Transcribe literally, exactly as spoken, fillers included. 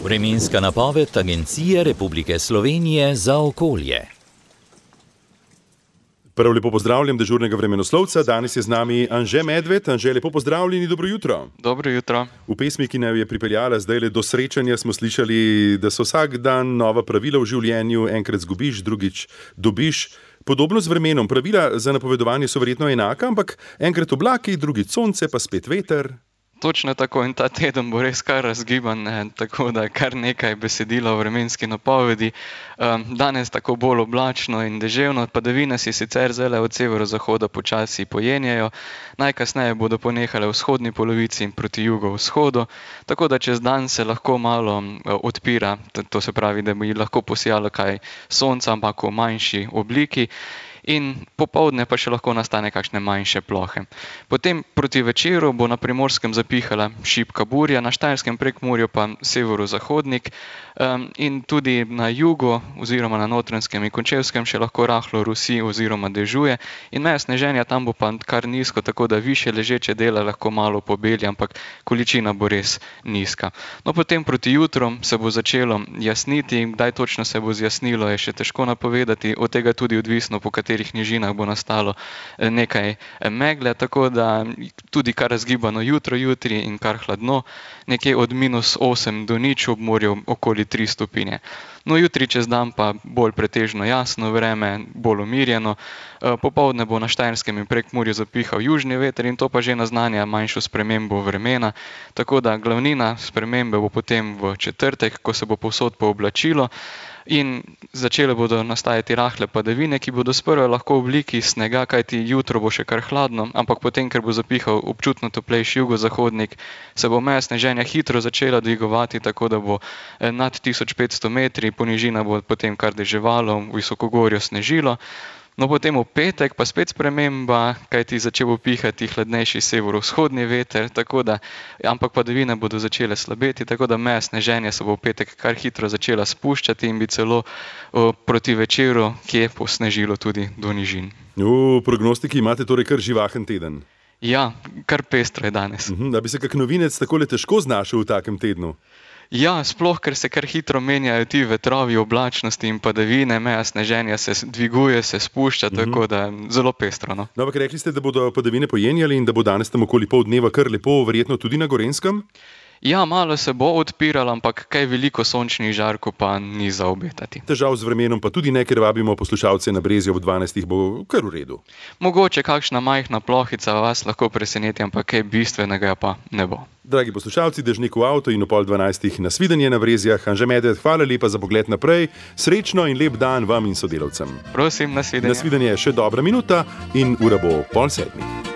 Vremenska napoved Agencije Republike Slovenije za okolje. Prav lepo pozdravljam dežurnega vremenoslovca. Danes je z nami Anže Medved. Anže, lepo pozdravljeni, dobro jutro. Dobro jutro. V pesmi, ki nam je pripeljala zdaj do srečanja, smo slišali, da so vsak dan nova pravila v življenju, enkrat zgubiš, drugič dobiš. Podobno z vremenom. Pravila za napovedovanje so verjetno enaka, ampak enkrat oblaki, drugič sonce, pa spet veter. Točno tako, in ta teden bo res kar razgiban, ne? Tako da kar nekaj besedila o vremenski napovedi. Um, danes tako bolj oblačno in deževno, padavine si sicer zdaj od severozahoda počasi pojenjajo, najkasneje bodo ponehale v vzhodni polovici in proti jugovzhodu, tako da čez dan se lahko malo uh, odpira, to se pravi, da bi lahko posijalo kaj sonca, ampak v manjši obliki. In popoldne pa še lahko nastane kakšne manjše plohe. Potem proti večeru bo na Primorskem zapihala šibka burja, na Štajerskem Prekmurju pa severozahodnik um, in tudi na jugu oziroma na Notranjskem in Končevskem še lahko rahlo rusi oziroma dežuje in meja sneženja tam bo pa kar nizko, tako da više ležeče dela lahko malo pobeli, ampak količina bo res nizka. No, potem proti jutru se bo začelo jasniti, kdaj točno se bo zjasnilo, je še težko napovedati, od tega tudi odvisno, po katerih nižinah bo nastalo nekaj megle, tako da tudi kar razgibano jutro jutri in kar hladno, nekje od minus osem do nič, ob morju okoli tri stopinje. No, jutri čez dan pa bolj pretežno jasno vreme, bolj umirjeno. Popoldne bo na Štajerskem in Prekmurju zapihal južni veter in to pa že naznanja manjšo spremembo vremena, tako da glavnina spremembe bo potem v četrtek, ko se bo povsod pooblačilo in začele bodo nastajati rahle padavine, ki bodo sprva lahko v obliki snega, kajti jutro bo še kar hladno, ampak potem, ker bo zapihal občutno toplejši jugozahodnik, se bo meja sneženja hitro začela dvigovati, tako da bo nad tisoč petsto metri, ponižina bo potem kar deževalo, v visokogorju snežilo. No, potem v petek pa spet sprememba, kajti začel bo pihati hladnejši severovzhodni veter, tako da, ampak padavine bodo začele slabeti, tako da meja sneženja se bo v petek kar hitro začela spuščati in bi celo o, proti večeru, ki je posnežilo tudi do nižin. V prognostiki imate torej kar živahen teden. Ja, kar pestro je danes. Mhm, da bi se kak novinec takole težko znašel v takem tednu. Ja, sploh, ker se kar hitro menjajo ti vetrovi, oblačnosti in padavine, meja sneženja se dviguje, se spušča, uh-huh. Tako da zelo pestro. No, no ampak rekli ste, da bodo padavine pojenjali in da bo danes tam okoli pol dneva kar lepo, verjetno tudi na Gorenjskem? Ja, malo se bo odpiralo, ampak kaj veliko sončnih žarkov pa ni za obetati. Težav z vremenom pa tudi ne, ker vabimo poslušalce na Brezju ob dvanajstih, bo kar v redu. Mogoče kakšna majhna plohica vas lahko preseneti, ampak kaj bistvenega pa ne bo. Dragi poslušalci, dežnik v avto in o pol dvanajstih nasvidenje na Brezjah. Anže Medved, hvala lepa za pogled naprej. Srečno in lep dan vam in sodelavcem. Prosim, nasvidenje. Nasvidenje je še dobra minuta in ura bo pol sedmih.